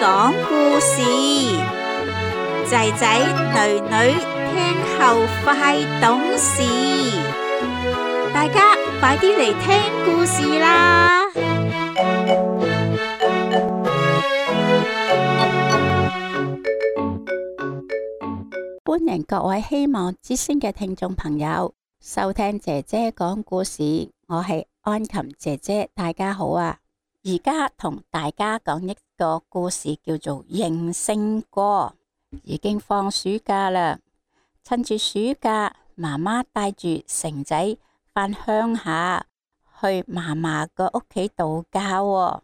講故事，仔仔女女聽後快懂事，大家快啲嚟聽故事啦！歡迎各位希望之聲嘅聽眾朋友收聽姐姐講故事，我係安琴姐姐，大家好啊！而家同大家講一個故事，叫做《應聲歌》。已經放暑假啦，趁住暑假，媽媽帶住成仔返鄉下去嫲嫲個屋企度假喎。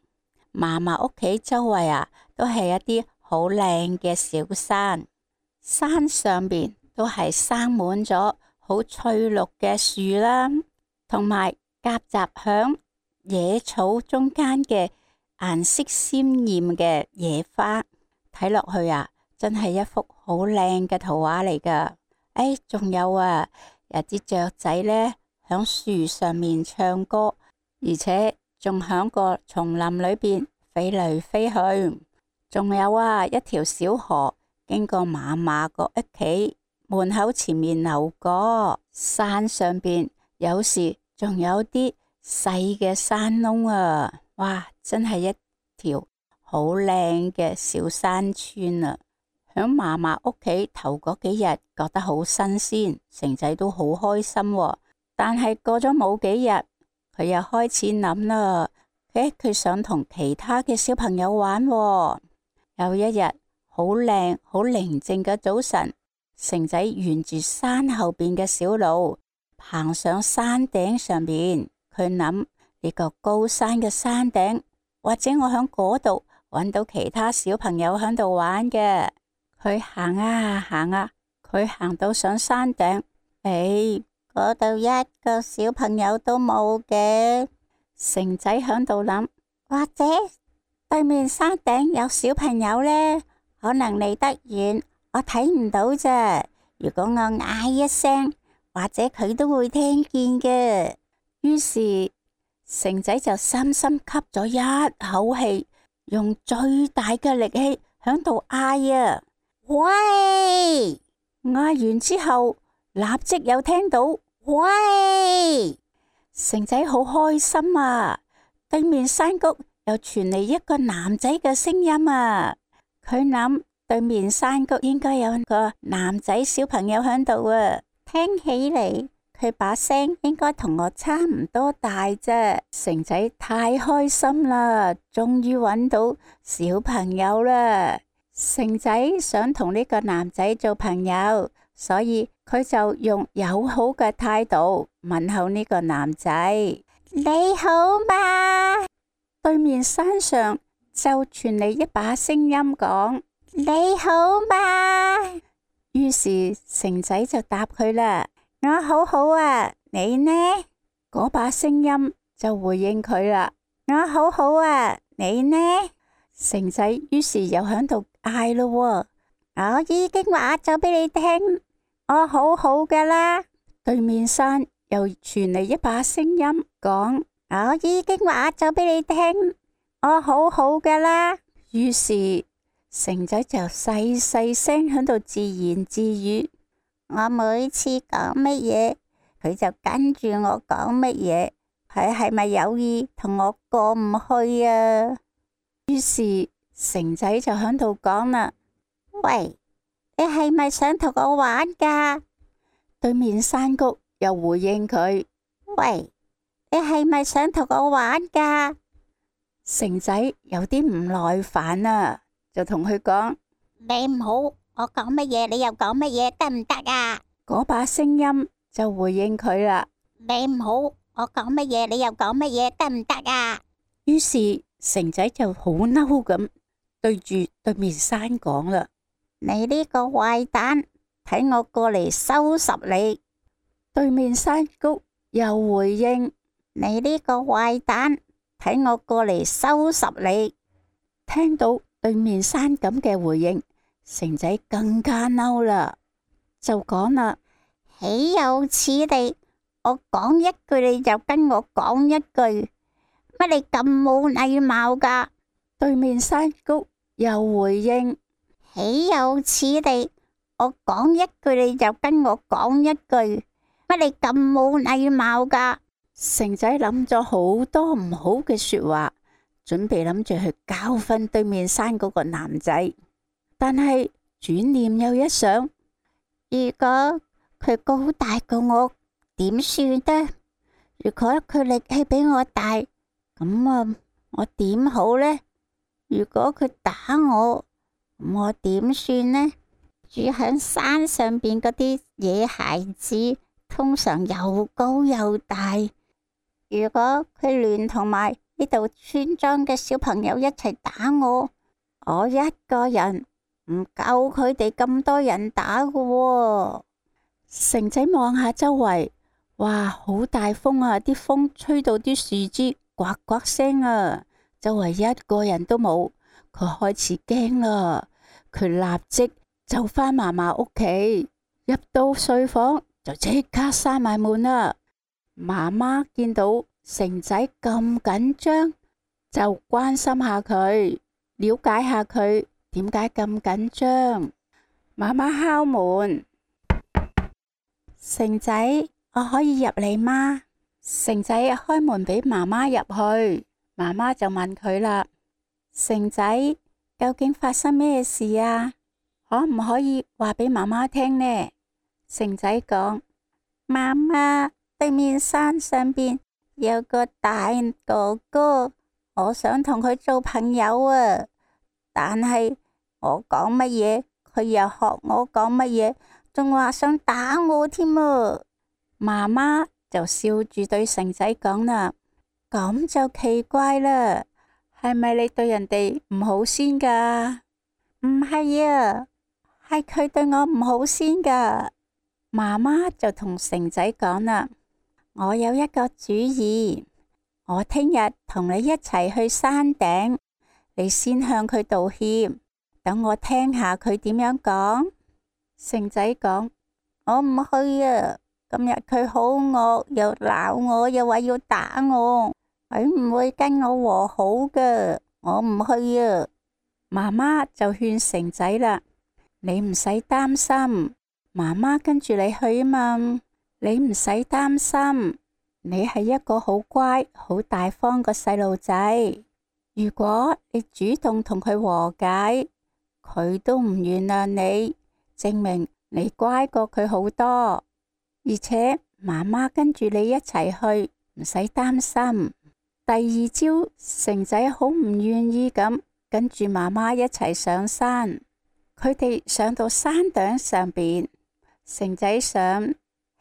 嫲嫲屋企周圍啊，都係一啲好靚嘅小山，山上邊都係生滿咗好翠綠嘅樹啦，同埋夾雜響野草中間嘅顏色鮮艷嘅野花，睇落去啊，真係一幅好靚嘅圖畫嚟噶。仲有啊，有啲雀仔呢響樹上面唱歌，而且仲響個叢林裏邊飛嚟飛去。仲有啊，一條小河經過嫲嫲個屋企門口前面流過。山上邊有時仲有啲細嘅山窿啊，哇，真係一條好靚嘅小山村啊！響嫲嫲屋企頭嗰幾日覺得好新鮮，成仔都好開心喎。但係過咗冇幾日，佢又開始諗啦，佢想同其他嘅小朋友玩喎。有一日好靚好寧靜嘅早晨，成仔沿住山後邊嘅小路行上山頂上邊。佢諗，呢個高山嘅山頂，或者我響嗰度搵到其他小朋友響度玩嘅。佢行啊行啊，佢行到上山頂，嗰度一個小朋友都冇嘅。成仔響度諗，或者對面山頂有小朋友呢，可能離得遠，我睇唔到啫。如果我嗌一聲，或者佢都會聽見嘅。於是成仔就深深吸咗一口氣，用最大嘅力氣響度嗌啊！喂！嗌完之後，立即又聽到喂！成仔好開心啊！對面山谷又傳嚟一個男仔嘅聲音啊！佢諗，對面山谷應該有個男仔小朋友響度啊！聽起嚟，佢把聲應該同我差唔多大啫。成仔太開心啦，終於揾到小朋友啦。成仔想同呢個男仔做朋友，所以佢就用友好嘅態度問候呢個男仔。你好嘛？對面山上就傳嚟一把聲音講：你好嘛？於是成仔就答佢啦。我好好啊，你呢？嗰把聲音就回應佢啦。我好好啊，你呢？成仔於是又響度嗌咯。我已經話咗俾你聽，我好好噶啦。對面山又傳嚟一把聲音講：我已經話咗俾你聽，我好好噶啦。於是成仔就細細聲響度自言自語。我每次講乜嘢，佢就跟住我講乜嘢，佢係咪有意同我過唔去啊？於是成仔就響度講啦：喂，你係咪想同我玩噶？對面山谷又回應佢：喂，你係咪想同我玩噶？成仔有啲唔耐煩啊，就同佢講：你唔好，我講乜嘢你又講乜嘢，得唔得啊？嗰把聲音就回應佢啦：你唔好，我講乜嘢你又講乜嘢，得唔得啊？於是成仔就好嬲咁對住對面山講啦：你呢個壞蛋，睇我過嚟收拾你！對面山谷又回應：你呢個壞蛋，睇我過嚟收拾你！聽到對面山咁嘅回應，成仔更加嬲啦，就講啦：豈有此理！我講一句你就跟我講一句，乜你咁冇禮貌噶？對面山谷又回應：豈有此理！我講一句你就跟我講一句，乜你咁冇禮貌噶？成仔諗咗好多唔好嘅說話，準備諗住去教訓對面山嗰個男仔，但係轉念又一想，如果佢高大過我，點算呢？如果佢力氣比我大，咁我點好呢？如果佢打我，咁我點算呢？住喺山上邊嗰啲野孩子，通常又高又大。如果佢聯同埋呢度村莊嘅小朋友一齊打我，我一個人唔夠佢哋咁多人打㗎喎。成仔望下周圍，哇，好大風啊！啲風吹到啲樹枝呱呱聲啊，周圍一個人都冇，佢開始驚啦。佢立即就返嫲嫲屋企，入到睡房就即刻閂埋門啦。媽媽見到成仔咁緊張，就關心下佢，了解下佢點解咁緊張。媽媽敲門，成仔，我可以入嚟嗎？成仔開門俾媽媽入去，媽媽就問佢啦：成仔，究竟發生咩事啊？可唔可以話俾媽媽聽呢？成仔講：媽媽，對面山上邊有個大哥哥，我想同佢做朋友啊，但係我講乜嘢，佢又學我講乜嘢，仲話想打我添啊！媽媽就笑住對成仔講啦：咁就奇怪啦，係咪你對人哋唔好先噶？唔係啊，係佢對我唔好先噶。媽媽就同成仔講啦：我有一個主意，我聽日同你一齊去山頂，你先向佢道歉，等我聽下佢點樣講。成仔講：我唔去啊，今日佢好惡，又鬧我，又話要打我，佢唔會跟我和好噶，我唔去啊。媽媽就勸成仔啦：你唔使擔心，媽媽跟住你去啊嘛，你唔使擔心，你係一個好乖、好大方個細路仔。如果你主動同佢和解，佢都唔原諒你，證明你乖過佢好多。而且媽媽跟住你一齊去，唔使擔心。第二朝，成仔好唔願意咁跟住媽媽一齊上山。佢哋上到山頂上邊，成仔想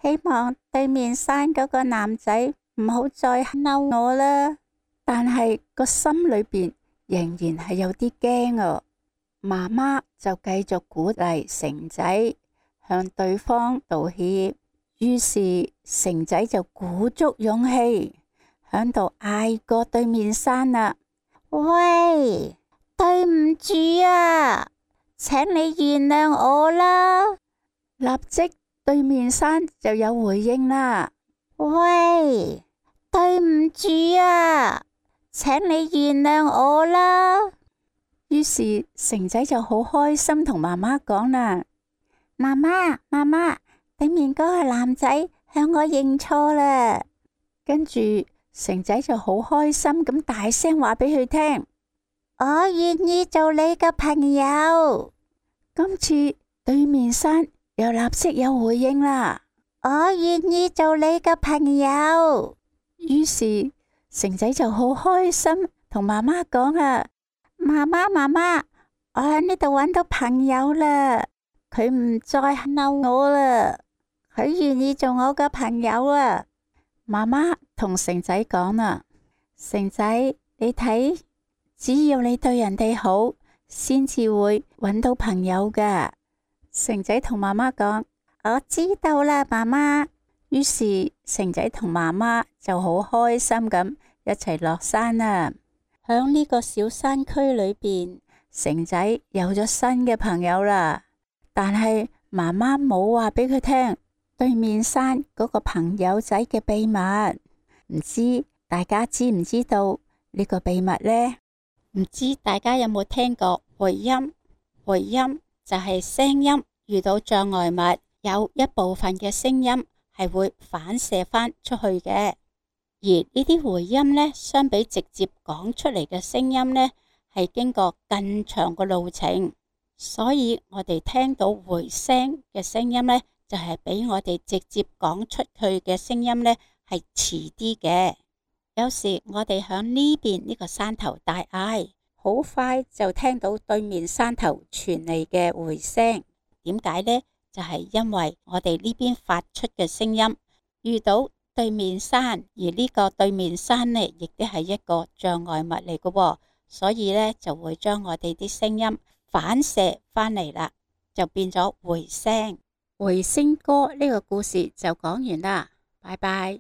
希望對面山嗰個男仔唔好再嬲我啦，但係個心裏邊仍然係有啲驚啊。媽媽就繼續鼓勵成仔向對方道歉，於是成仔就鼓足勇氣響度嗌過對面山啦：喂，對唔住啊，請你原諒我啦！立即對面山就有回應啦：喂，對唔住啊，請你原諒我啦！於是成仔就好開心同媽媽講啦：媽媽，媽媽，對面嗰個男仔向我認錯啦。跟住成仔就好開心咁大聲話俾佢聽：我願意做你嘅朋友。今次對面山又立即有回應啦：我願意做你嘅朋友。於是成仔就好開心同媽媽講啊：媽媽，媽媽，我喺呢度揾到朋友啦，佢唔再嬲我啦，佢願意做我嘅朋友啊！媽媽同成仔講啦：成仔，你睇，只要你對人哋好，先至會揾到朋友噶。成仔同媽媽講：我知道啦，媽媽。於是成仔同媽媽就好開心咁一齊落山啦。響呢個小山區裏邊，成仔有咗新嘅朋友啦。但係媽媽冇話俾佢聽對面山嗰個朋友仔嘅秘密。唔知大家知唔知道呢個秘密呢？唔知大家有冇聽過回音，回音就係聲音遇到障礙物，有一部分嘅聲音係會反射返出去嘅。而呢啲回音呢，相比直接講出嚟嘅聲音呢，係經過更長嘅路程，所以我哋聽到回聲嘅聲音呢，就係比我哋直接講出去嘅聲音呢係遲啲嘅。有時我哋響呢邊呢個山頭大嗌，好快就聽到對面山頭傳嚟嘅回聲。點解呢？就係因為我哋呢邊發出嘅聲音遇到對面山，而呢個對面山呢，亦都係一個障礙物嚟嘅喎，所以呢，就會將我哋啲聲音反射返嚟啦，就變咗回聲。回聲歌呢個故事就講完啦，拜拜。